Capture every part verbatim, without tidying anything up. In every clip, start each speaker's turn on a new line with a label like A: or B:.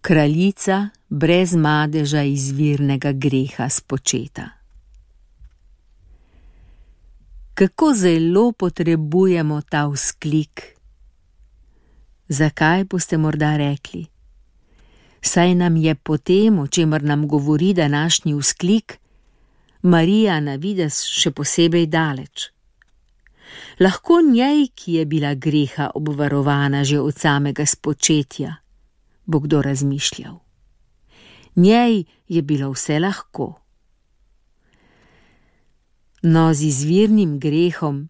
A: kraljica brez madeža izvirnega greha spočeta. Kako zelo potrebujemo ta vzklik. Zakaj, boste morda rekli? Saj nam je po tem, o čemer nam govori današnji vzklik, Marija na videz še posebej daleč. Lahko njej, ki je bila greha obvarovana že od samega spočetja, bo kdo razmišljal. Njej je bilo vse lahko. No, z izvirnim grehom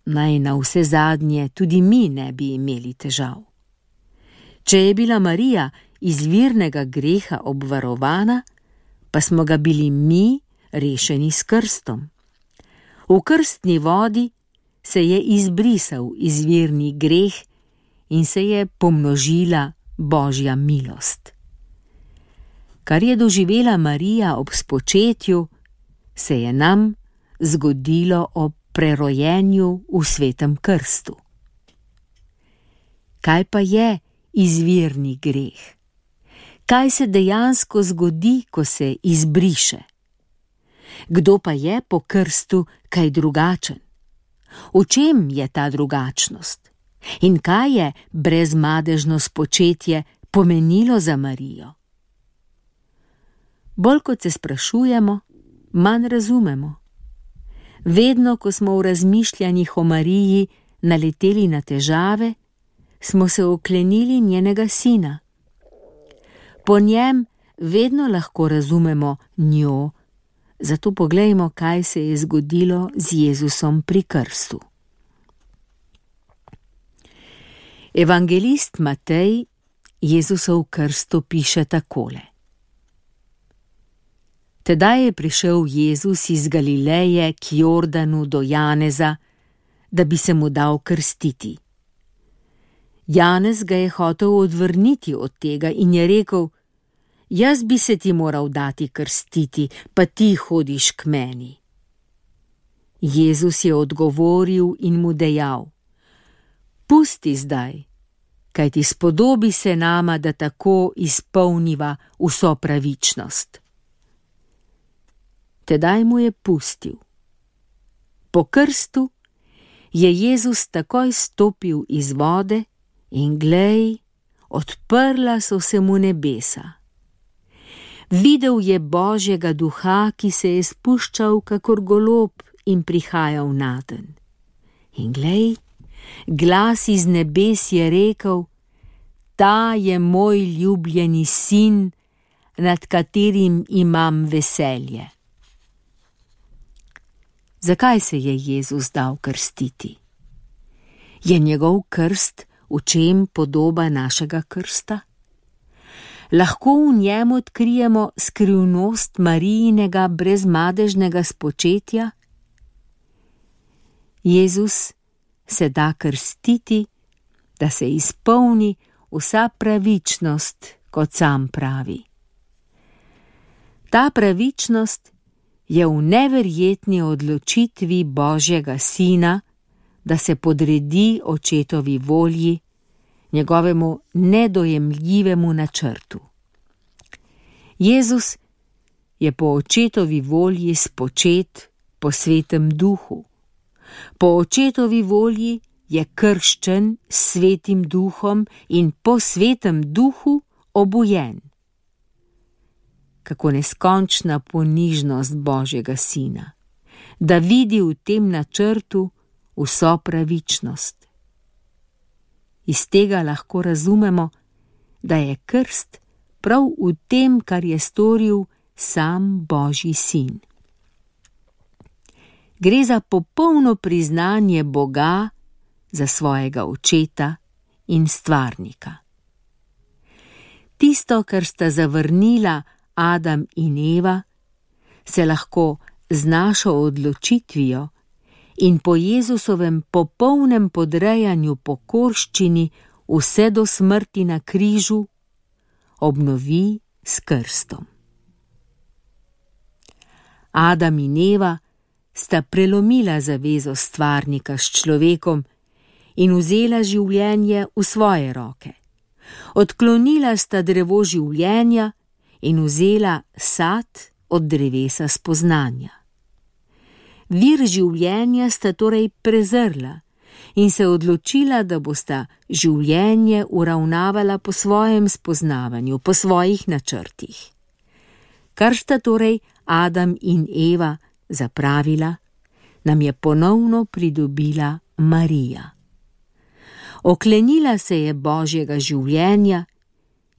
A: naj na vse zadnje tudi mi ne bi imeli težav. Če je bila Marija izvirnega greha obvarovana, pa smo ga bili mi rešeni s krstom. V krstni vodi se je izbrisal izvirni greh in se je pomnožila Božja milost. Kar je doživela Marija ob spočetju, se je nam zgodilo ob prerojenju v svetem krstu. Kaj pa je izvirni greh? Kaj se dejansko zgodi, ko se izbriše? Kdo pa je po krstu kaj drugačen? V čem je ta drugačnost? In kaj je brezmadežno spočetje pomenilo za Marijo? Bolj kot se sprašujemo, manj razumemo. Vedno, ko smo v razmišljanjih o Mariji naleteli na težave, smo se oklenili njenega sina. Po njem vedno lahko razumemo njo, zato poglejmo, kaj se je zgodilo z Jezusom pri krstu. Evangelist Matej Jezusov krsto piše takole. Tedaj je prišel Jezus iz Galileje k Jordanu do Janeza, da bi se mu dal krstiti. Janez ga je hotel odvrniti od tega in je rekel: Jaz bi se ti moral dati krstiti, pa ti hodiš k meni. Jezus je odgovoril in mu dejal: Pusti zdaj, kajti spodobi se nama, da tako izpolniva vso pravičnost. Tedaj mu je pustil. Po krstu je Jezus takoj stopil iz vode in glej, odprla so se mu nebesa. Videl je Božjega duha, ki se je spuščal kakor golob in prihajal naden. In glej, glas iz nebes je rekel: Ta je moj ljubljeni sin, nad katerim imam veselje. Zakaj se je Jezus dal krstiti? Je njegov krst v čem podoba našega krsta? Lahko v njem odkrijemo skrivnost Marijinega brezmadežnega spočetja? Jezus se da krstiti, da se izpolni vsa pravičnost, kot sam pravi. Ta pravičnost je v neverjetni odločitvi Božjega sina, da se podredi očetovi volji, njegovemu nedojemljivemu načrtu. Jezus je po očetovi volji spočet po svetem duhu. Po očetovi volji je krščen s svetim duhom in po svetem duhu obujen. Kako neskončna ponižnost Božjega sina, da vidi v tem načrtu vso pravičnost. Iz tega lahko razumemo, da je krst prav v tem, kar je storil sam Božji sin. Gre za popolno priznanje Boga za svojega očeta in stvarnika. Tisto, kar sta zavrnila Adam in Eva, se lahko z našo odločitvijo in po Jezusovem popolnem podrejanju pokorščini vse do smrti na križu obnovi s krstom. Adam in Eva sta prelomila zavezo stvarnika s človekom in vzela življenje v svoje roke. Odklonila sta drevo življenja in vzela sad od drevesa spoznanja. Vir življenja sta torej prezrla in se odločila, da bosta življenje uravnavala po svojem spoznavanju, po svojih načrtih. Kar sta torej Adam in Eva zapravila, nam je ponovno pridobila Marija. Oklenila se je Božjega življenja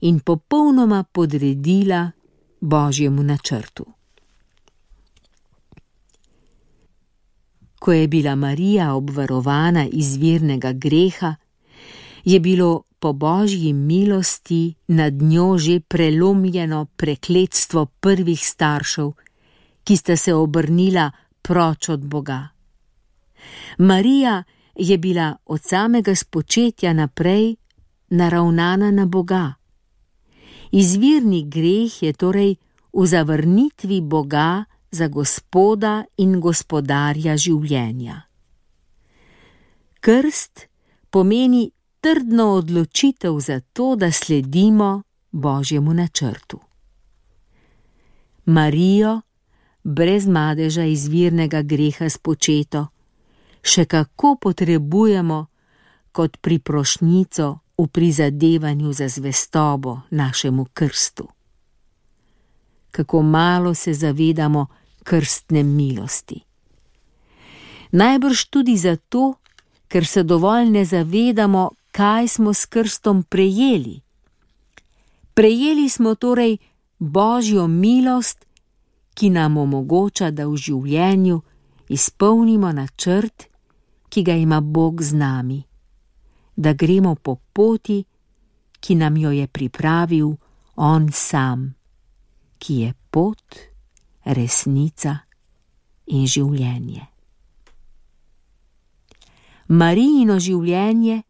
A: in popolnoma podredila Božjemu načrtu. Ko je bila Marija obvarovana izvirnega greha, je bilo po Božji milosti nad njo že prelomljeno prekletstvo prvih staršev, ki sta se obrnila proč od Boga. Marija je bila od samega spočetja naprej naravnana na Boga. Izvirni greh je torej v zavrnitvi Boga za Gospoda in gospodarja življenja. Krst pomeni trdno odločitev za to, da sledimo Božjemu načrtu. Marijo, brez madeža izvirnega greha spočeto, še kako potrebujemo kot priprošnjico v prizadevanju za zvestobo našemu krstu. Kako malo se zavedamo krstne milosti. Najbrž tudi zato, ker se dovolj ne zavedamo, kaj smo s krstom prejeli. Prejeli smo torej Božjo milost, ki nam omogoča, da v življenju izpolnimo načrt, ki ga ima Bog z nami, da gremo po poti, ki nam jo je pripravil On sam, ki je pot, resnica in življenje. Marijino življenje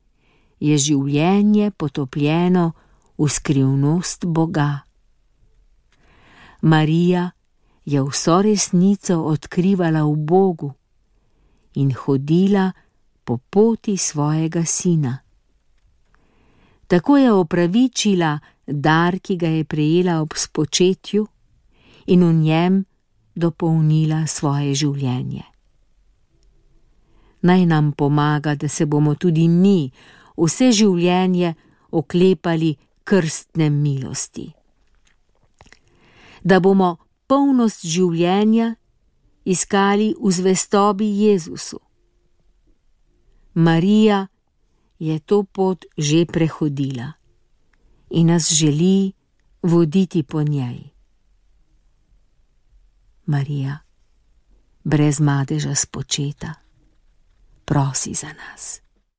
A: je življenje potopljeno v skrivnost Boga. Marija je vso resnico odkrivala v Bogu in hodila po poti svojega sina. Tako je opravičila dar, ki ga je prejela ob spočetju, in v njem dopolnila svoje življenje. Naj nam pomaga, da se bomo tudi mi vse življenje oklepali krstne milosti. Da bomo polnost življenja iskali v zvestobi Jezusu. Marija je to pot že prehodila in nas želi voditi po njej. Marija, brez madeža spočeta, prosi za nas.